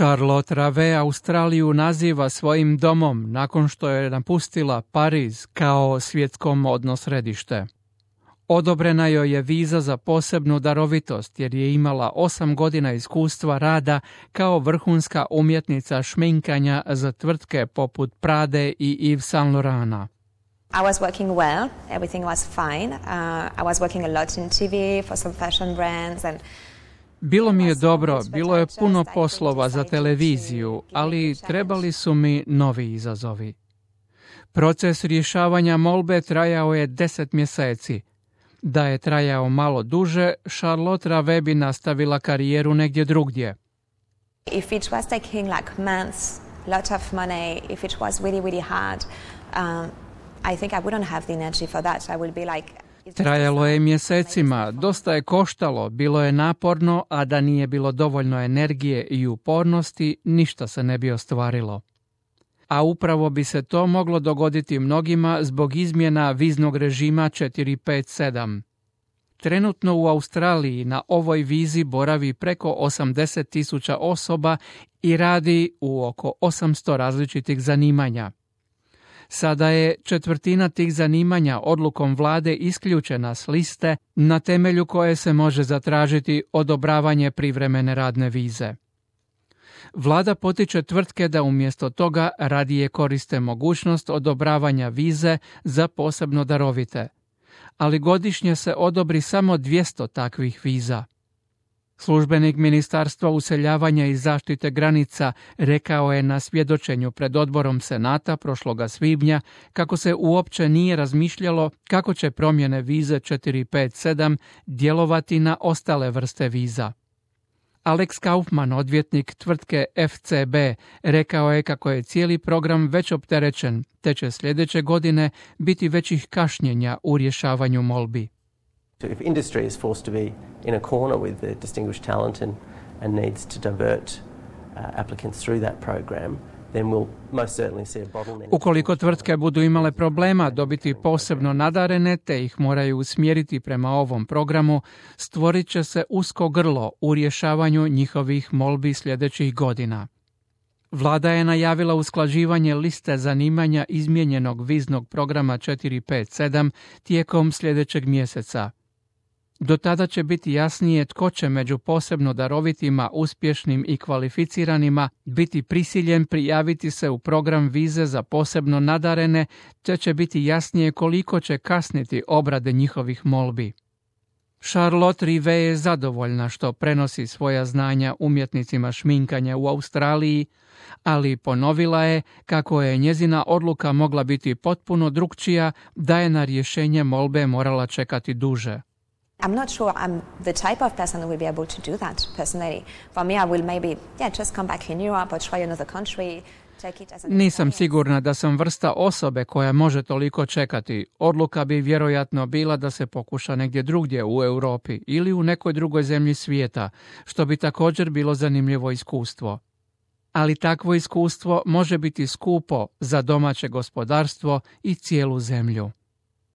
Charlotte Ravet Australiju naziva svojim domom nakon što je napustila Pariz kao svjetsko modno središte. Odobrena joj je viza za posebnu darovitost jer je imala 8 godina iskustva rada kao vrhunska umjetnica šminkanja za tvrtke poput Prade i Yves Saint Laurenta. I was working well, everything was fine. I was working a lot in TV for some fashion brands and Bilo mi je dobro, bilo je puno poslova za televiziju, ali trebali su mi novi izazovi. Proces rješavanja molbe trajao je 10 mjeseci. Da je trajao malo duže, Charlotte Ravet bi nastavila karijeru negdje drugdje. If it was taking like months, lot of money, if it was really, really hard, I think I wouldn't have the energy for that. I would be like... Trajalo je mjesecima, dosta je koštalo, bilo je naporno, a da nije bilo dovoljno energije i upornosti, ništa se ne bi ostvarilo. A upravo bi se to moglo dogoditi mnogima zbog izmjena viznog režima 457. Trenutno u Australiji na ovoj vizi boravi preko 80.000 osoba i radi u oko 800 različitih zanimanja. Sada je 1/4 tih zanimanja odlukom vlade isključena s liste na temelju koje se može zatražiti odobravanje privremene radne vize. Vlada potiče tvrtke da umjesto toga radije koriste mogućnost odobravanja vize za posebno darovite, ali godišnje se odobri samo 200 takvih viza. Službenik Ministarstva useljavanja i zaštite granica rekao je na svjedočenju pred odborom Senata prošloga svibnja kako se uopće nije razmišljalo kako će promjene vize 457 djelovati na ostale vrste viza. Alex Kaufman, odvjetnik tvrtke FCB, rekao je kako je cijeli program već opterećen, te će sljedeće godine biti većih kašnjenja u rješavanju molbi. If industry is forced to be in a corner with the distinguished talent and needs to divert applicants through that program, then we'll most certainly see a bottleneck. Ukoliko tvrtke budu imale problema dobiti posebno nadarene te ih moraju usmjeriti prema ovom programu, stvorit će se usko grlo u rješavanju njihovih molbi sljedećih godina. Vlada je najavila usklađivanje liste zanimanja izmijenjenog viznog programa 457 tijekom sljedećeg mjeseca. Do tada će biti jasnije tko će među posebno darovitima, uspješnim i kvalificiranima biti prisiljen prijaviti se u program vize za posebno nadarene, te će biti jasnije koliko će kasniti obrade njihovih molbi. Charlotte Ravet je zadovoljna što prenosi svoja znanja umjetnicima šminkanja u Australiji, ali ponovila je kako je njezina odluka mogla biti potpuno drukčija da je na rješenje molbe morala čekati duže. I'm not sure I'm the type of person who will be able to do that personally. For me, I will maybe just come back in Europe or try another country. Nisam sigurna da sam vrsta osobe koja može toliko čekati. Odluka bi vjerojatno bila da se pokuša negdje drugdje u Europi ili u nekoj drugoj zemlji svijeta, što bi također bilo zanimljivo iskustvo. Ali takvo iskustvo može biti skupo za domaće gospodarstvo i cijelu zemlju.